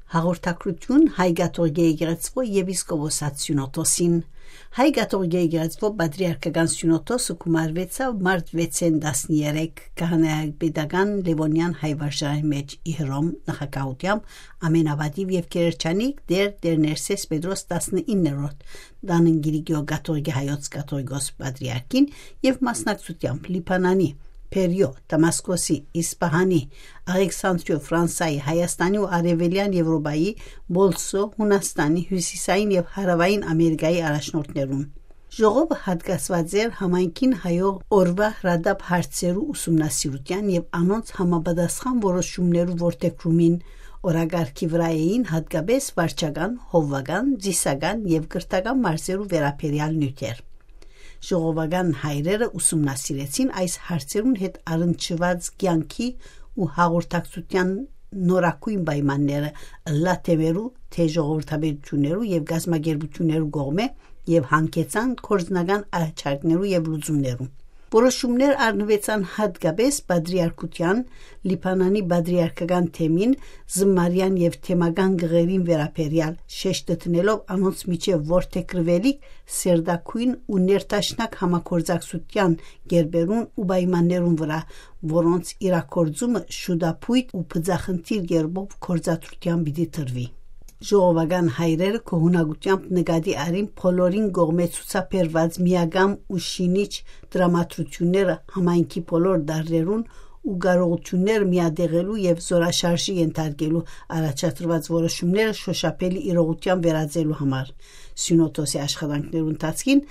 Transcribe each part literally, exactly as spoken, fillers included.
Հաղորդակցություն Հայ կաթողիկէ եկեղեցւոյ եպիսկոպոսաց սիւնոդոսին։ Հայ կաթողիկէ եկեղեցւոյ պատրիարքական սիւնոդոսը գումարուեցաւ մարտ վեցին տասներեք քահանայապետական Լեւոնեան հայ վարժարանի մէջ Իհրոմ նախագահութեամբ ամենապատիւ եւ գերերջանիկ Տէր Տէր Ներսէս Պետրոս տասնիններորդ Տանն Կիլիկիոյ կաթողիկէ հայոց կաթողիկոս պատրիարքին եւ մասնակցութեամբ Լիբանանի, Բերիոյ, Դամասկոսի, Իսպահանի, Աղեքսանտրիոյ, Ֆրանսայի, Հայաստանի ու Արեւելեան Եւրոպայի, Պոլսոյ, Յունաստանի, Հիւսիսային եւ Հարաւային Ամերիկայի առաջնորդներուն։ Ժողովը յատկացուած էր համայնքին հայող օրուայ հրատապ հարցերու ուսումնասիրութեան եւ անոնց համապատասխան որոշումներու որդեգրումին։ Օրակարգի վրայ էին յատկապէս վարչական, հովուական, ծիսական եւ կրթական մարզերու վերաբերեալ նիւթեր։ Ժողովական հայրերը ուսումնասիրեցին այս հարցերուն հետ առնչուած կեանքի ու հաղորդակցութեան նորագոյն պայմանները, ըլլայ թեմերու, թէ ժողովրդապետութիւններու եւ կազմակերպութիւններու կողմէ, եւ յանգեցան գործնական առաջարկներու եւ լուծումներու։ Որոշումներ առնուեցան յատկապէս պատրիարքութեան, Լիբանանի պատրիարքական թեմին, զմարեան եւ թեմական գղերին վերաբերեալ, շեշտը դնելով անոնց միջեւ որդեգրուելիք սերտագոյն ու ներդաշնակ համագործակցութեան կերպերուն ու պայմաններուն վրայ, որոնց իրագործումը շուտափոյթ ու բծախնդիր կերպով գործադրութեան պիտի տրուի։ Ժողովական հայրերը գոհունակութեամբ նկատի առին բոլորին կողմէ ցուցաբերուած միակամ ու շինիչ տրամադրութիւնները համայնքի բոլոր տարրերուն ու կարողութիւնները միատեղելու եւ զորաշարժի ենթարկելու առաջադրուած որոշումները շոշափելի իրողութեան վերածելու համար։ Սիւնոդոսի աշխատանքներու ընթացքին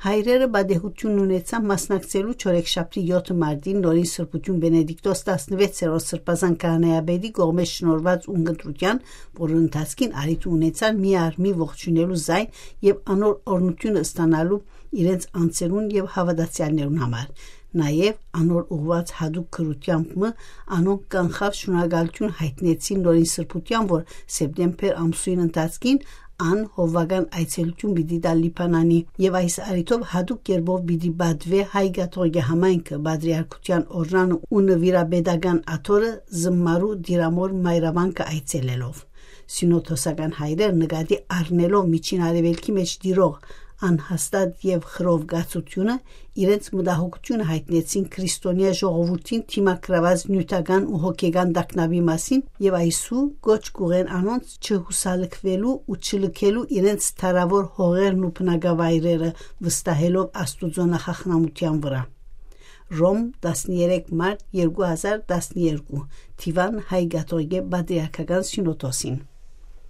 հայրերը պատեհութիւն ունեցան մասնակցելու չորեքշաբթի եօթը մարտին նորին սրբութիւն Բենեդիկտոս տասնվեցերորդ սրբազան քահանայապետի կողմէ շնորհուած ունգընտրութեան, որուն ընթացքին առիթ ունեցան մի առ մի ողջունելու զայն եւ անոր օրհնութիւնը ստանալու իրենց անձերուն եւ հաւատացեալներուն համար։ Նաեւ անոր ուղղուած յատուկ գրութեամբ մը անոնք կանխաւ շնորհակալութիւն յայտնեցին նորին սրբութեան, որ սեպտեմբեր ամսոյն ընթացքին ան հովուական այցելութիւն պիտի տայ Լիբանանի, եւ այս առիթով յատուկ կերպով պիտի պատուէ հայ կաթողիկէ համայնքը պատրիարքութեան օրրանը ու նուիրապետական աթոռը զմարու տիրամօր մայրավանքը այցելելով։ Սիւնոդոսական հայրեր նկատի առնելով Միջին Արեւելքի մէջ տիրող անհաստատ եւ խռովկացութիւնը, իրենց մտահոգութիւնը յայտնեցին քրիստոնեայ ժողովուրդին դիմագրաւած նիւթական ու հոգեկան տագնապի մասին եւ այսու կոչ կ'ուղղեն անոնց չյուսալքուելու ու չլքելու իրենց դարաւոր հողերն ու բնակավայրերը, վստահելով Աստուծոյ նախախնամութեան վրայ։ Ռոմ, տասներեք մարտ երկու հազար տասներկու, Դիւան Հայ կաթողիկէ պատրիարքական սիւնոդոսին։